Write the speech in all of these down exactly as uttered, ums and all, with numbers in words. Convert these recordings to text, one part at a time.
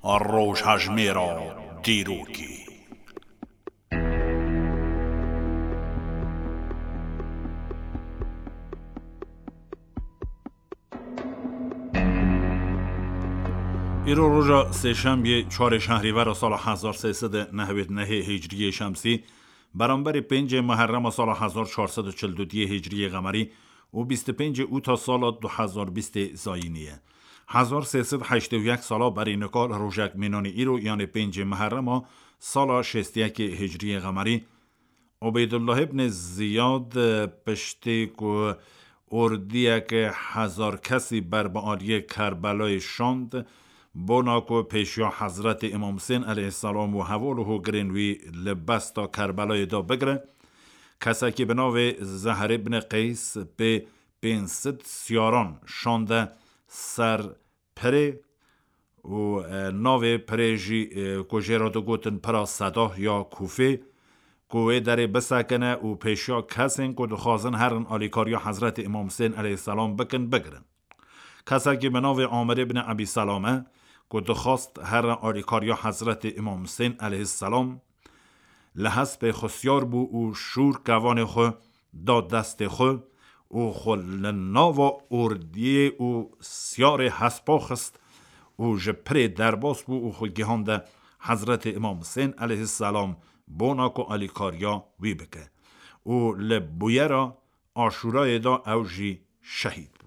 Rojhejmêra dîrokê. Îro roja sêşembiyê, çarê şehrîvera sala hezar sê sed û nehwêd nehê hicriyê şemsî, beramberî pêncê Muherrema sala hezar çar sed û çil û duyê hicriyê qemerî û bîst û pêncê Ûta sala du hezar bîstê zayînî ye. Hezar sê sed heştê û yek sala berî nika li rojek mînanî îro, yanê pêncê Muherrema sala şêst û yekê hicriyê qemerî, Ubeydullah ibn Ziyad, piştî ku ordiyek hezar kesî ber bi aliyê Kerbelayê şand, bona ku pêşiya Hezretê Îmam Husên aleyhisselam û heval û hogirên wî li besta Kerbelayê de bigire, kesekî bi navê Zehr ibn Qeys pê pênc sed siyaran şande ser pirê û, e, navê pirê jî, e, ku jê re digotin pira Sedah ya Kûfê, ku wê derê bisekine û pêşiya kesên ku dixwazin herin alîkariya Hezretê Îmam Husên aleyhisselam bikin, bigirin. Kesekî bi navê Amir ibn Ebî Selame ku dixwast here alîkariya Hezretê Îmam Husên aleyhisselam, li hespê xwe siyar bû û şûr kevanê xwe da destê xwe û xwe li nava ordiyê û siyarê hespa xist û ji pirê derbas bû û xwe gihande Hezretê Îmam Husên aleyhisselam bona ku alîkariya wî bike û li bûyera Aşûrayê de ew jî şehîd bû.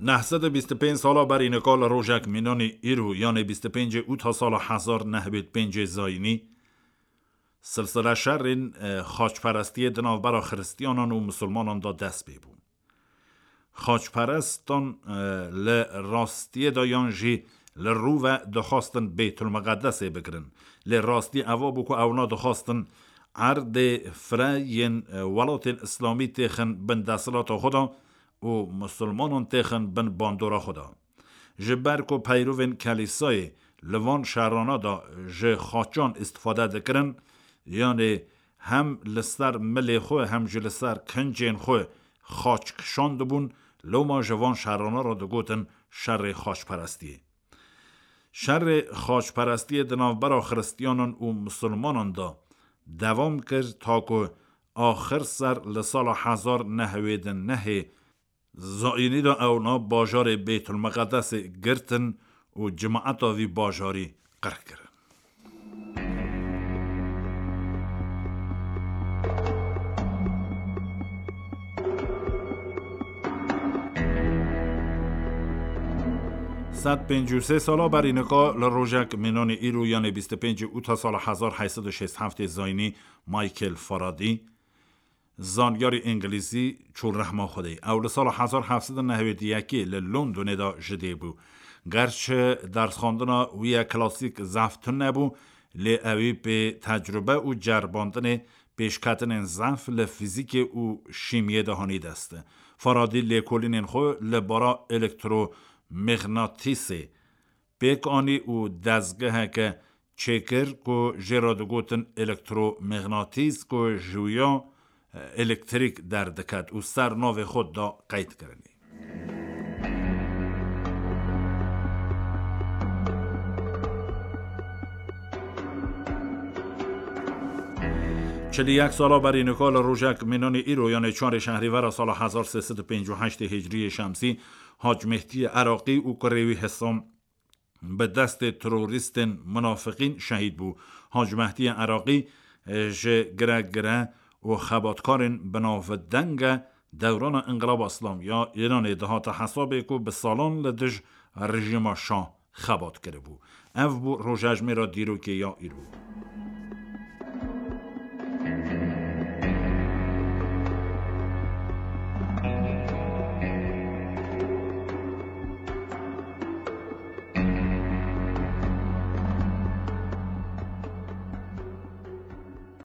Neh sed û bîst û pênc sala berî nika li rojek mînanî îro, yanê bîst û pêncê Ûta sala hezar neh sed û pêncê zayînî, silsile şerên, e, xaçperestiyê di navbera xiristiyanan û misilmanan de dest pê bû. Xaçperestan, e, li rastiyê de yan jî li rû ve dixwastin Beytulmiqedesê bigirin. Lê rastî eva bû ku ewna dixwastin erdê fire yên, e, welatên Îslamî têxin bin desthilata xwe de û misilmanan têxin bin bandora xwe de. Ji ber ku peyrovên kelîsayê li van şerana de ji xaçan îstifade dikirin, yanê hem li ser milê xwe hem jî li ser kincên xwe xaç kişandibûn, loma ji van şerana re digotin şerê xaçperestiyê. Şerê xaçperestiyê di navbera xiristiyanan û misilmanan de dewam kir, ta ku axir ser li sala hezar neh sed û newêd û nehê zayînî de ewna bajarê Beytulmiqedesê girtin û cimaeta vî bajarî qirk kirin. Sed pêncî û sê sala berî nika li rojek mînanî îro, yanê bîst û pêncê Ûta sala hezar heyt sed û şêst heftê zayînî, Michael Faraday, zanyarê îngilîzî, çû rehma Xwedê. Ew li sala hezar heft sed û newêd û yekê li Londonê de ji dê bû. Gerçi dersxwendina wî ya klasîk zehf tune bû, lê ewî pê tecrube û ceribandinê pêşketinên zehf li fîzîkê û şîmiyê de hanî dest. Faraday lêkolînên xwe li bara elektromîxnatîsê pêk anî û dezgeheke çêkir ku jê re digotin elektromîxnatîs, ku ji wîya, e, elektrîk derdiket û ser navê xwe da qeyd kirinê. Çil û yek sala berî nika li rojek mînanî îro, yanê çarê şehrîvera sala hezar sê sed û pêncî û heştê hicriyê şemsî, Hac Mehdiyê Iraqî û kurê wî Hisam bi destê terorîstên munafiqîn şehîd bû. Hac Mehdiyê Iraqî, e, ji giregire û xebatkarên binavdeng e dewrana Înqilaba Îslamî ya Îranê dihate hesabê ku bi salan li dij rejîma Şah xebat kiribû. Ev bû rojhejmêra dîrokê ya îro.